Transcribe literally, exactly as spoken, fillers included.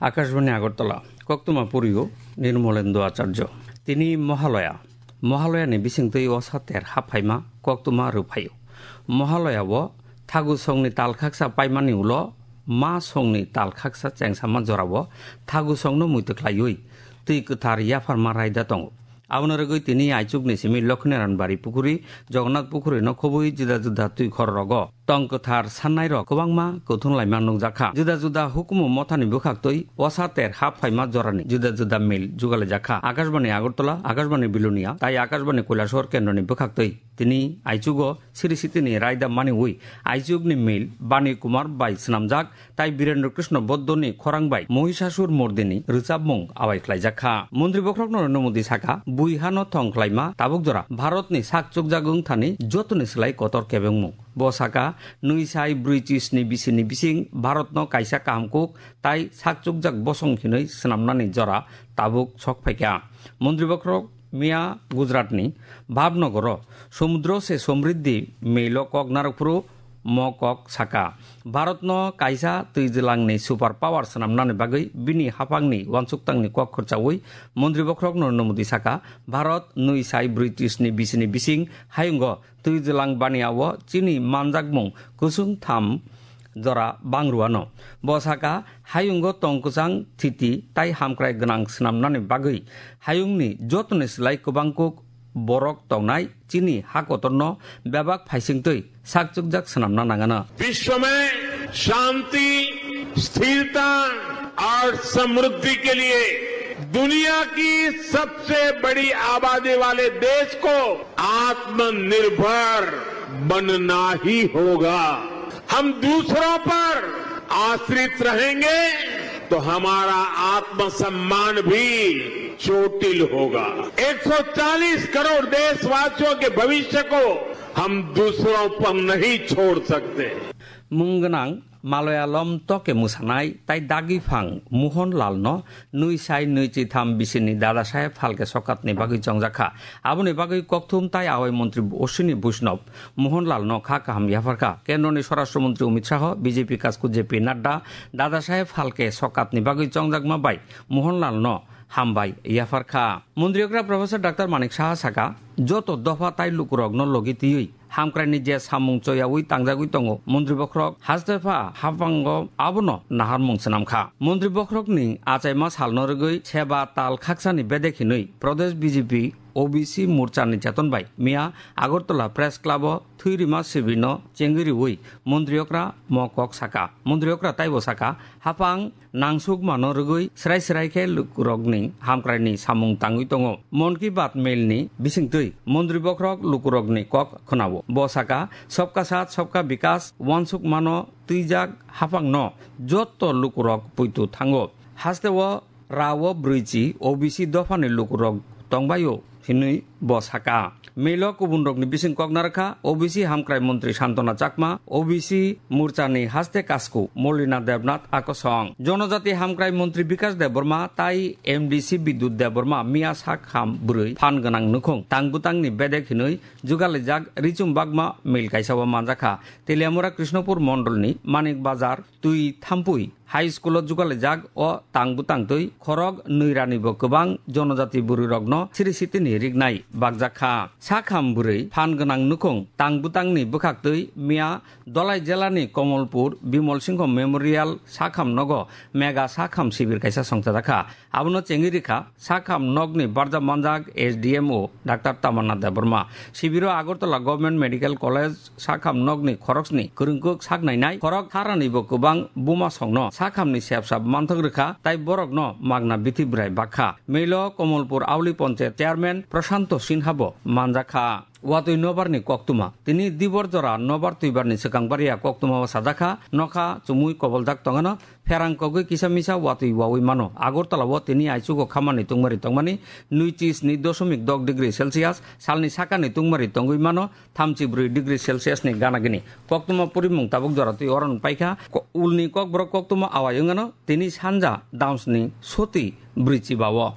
Akashbani Agartala, koktwma poriyo Nirmolendra Acharya. Tini Mohalaya. Mohalaya ni bisingtwi osa ter haphaima koktwma rwphaio. Mohalaya o thagu songni tal khaksa paimani ulo ma songni tal khaksa chengsama jorao thagu songno muitu khlaiwi twi kwthar yapharma raida tongo. Abono rwgwi tini aichukni simi Lokhinaranbari pukhuri, Jagannath pukhurino khobwi juda juda twi khorrogo tong kwthar sannairok kwbangma kuthum laima nukjakha. Juda juda hukumu mothani bwkhaktwi osa ter hap phaima jorani juda juda mil jugalijakha. Akashbani Agartala, Akashbani Bilonia tai Akashbani Kailasahar kendroni bwkhaktwi tini aichugo Sri Sitini raida maniwi aichukni mil Bani Kumar bai swnamjak tai Birendra Krishna Boddoni khorang bai Mohisasur murdini rwchapmung awai khlaijakha. Montri bokhorok Narendra Modi saka, bui hano thong khlaima tabuk jora Bharatni sak chukjak wng thani jotoni slai kotor kebengmung. Bo saka, nwi sai brwi chisni bisini bising Bharatno kaisa kaham kuk tai sak chukjak bosong hinwi swnamnani jora tabuk sok phaikha. Montri bokhorok miya Gujaratni Bhavnagoro Samudra se Samriddhi melo kok narwk phuru mo kok saka. Bharatno kaisa twijlangni super power swnamnani bagwi bini haphangni uansukthangni kok khurchaui Montri bokhorok Narendra Modi saka, Bharat nwi sai brwi chisni bisini bising hayungo twijlang baniao chini manjakmung kusung tham jora bang rwano. Bo saka, hayungo tong kwchang thiti tai hamkrai gwnang swnamnani bagwi hayungni jotoni slai kwbang kuk borok tongnai chini ha kotorno bebak phaisingtwi sak chukjak swnamna nangano. विश्व में शांति, स्थिरता और समृद्धि के लिए दुनिया की सबसे बड़ी आबादी वाले देश को आत्मनिर्भर बनना ही होगा। हम दूसरों पर आश्रित रहेंगे तो हमारा आत्मसम्मान भी चोटिल होगा। एक सौ चालीस करोड़ देशवासियों के भविष्य को हम दूसरों पर नहीं छोड़ सकते। Mung gwnang Malayalam toke mwsanai tai dagi phang Mohanlalno nwi sai nwi chi tham bisini Dada Saheb Phalke Sokatni bagwi chongjakha. Aboni bagwi kokthum tai awai montri Ashwini Vaishnaw Mohanlalno kha kaham yapharkha. Kendroni Swarashtra Montri Amit Shah, B J P kasku J P Nadda Dada Saheb Phalke Sokatni bagwi chongjakma bai Mohanlalno hambai yapharkha. Montri okra Professor Doctor Manik Saha saka, joto dopha tai lukurokno logi twiwi hamkraini je samung choyaui tangjagwi tongo, montri bokhorok hastepha haphango abono naharmung swnamkha. Montri bokhorokni achaima salno rwgwi seba tal khaksani bedek hinwi Pradesh B J P O B C Morchani cheton bai miya Agartala Press Club o thwi rima sibirno chengwi riui montri okra mo kok saka. Montri okra taibo saka, haphang nangsukmano rwgwi srai srai khe lukurokni hamkraini samung tangwi tongo. Mon Ki Baat mailni bisingtwi montri bokhorok lukurokni kok khwnao. Bo saka, Sabka Saath, Sabka Vikas uansukmano twijak haphangno joto lukurok puitu thango. Hasteo rao brwichi O B C dophani lukurok tongbaio hinwi bo saka. Melo kubunrokni bising kok narwkha O B C hamkrai montri Santona Chakma, O B C Morchani haste kasku Molina Debnath Akosong, Jonojati hamkrai montri Bikash Debbarma tai M D C Bidyut Debbarma miya sak ham bwrwi phan gwnang nukhung tang bwtangni bedek hinwi jugalijak Richum Bagma mil kaisao manjakha. Teliamura Krishnapur mondolni Manik Bazar twi thampui High School o jugalijak o tang bwtang twi khorok nwi rani bo kwbang jonojati bwrwi rokno siri sitini riknai bakjakha. Sakham bwrwi phan gwnang nukhung tang bwtangni bwkhaktwi miya Dolai jelani Komolpur Bimol Singho Memorial sakham nogo mega sakham sibir kaisa songchajakha. Abono chengwi rikha sakham nokni barjak manjak S D M O Doctor Tamanna Debbarma. Sibiro Agartala Government Medical College sakham nokni khoroksni kwrwngkuk sak nainai khorok tharanibo kwbang buma songno sakhamni sepsap manthok rwkha tai borokno magna bithi bwrai bakha. Melo Komolpur Auli Ponchayat Chairman Prashanto Sinha bo manjakha. Watwi nobarni koktwma. Tini dibor jora nobar twibarni swkang baria koktwma o sajakha, nokha chumui koboljak tongano, pherang kogwi kisa misa watwi wawi mano. Agartala o tini aichugo khamani tungmari tongmani nwi chi sni doshomik dok degree Celsius, salni sakani tungmari tongwi mano thamchi brwi degree Celsius ni gana gini. Koktwma purimung tabuk jora twi oron paikha. Ko-, ulni kokborok koktwma awai wngano tini sanja damsni soti brwi chiba o.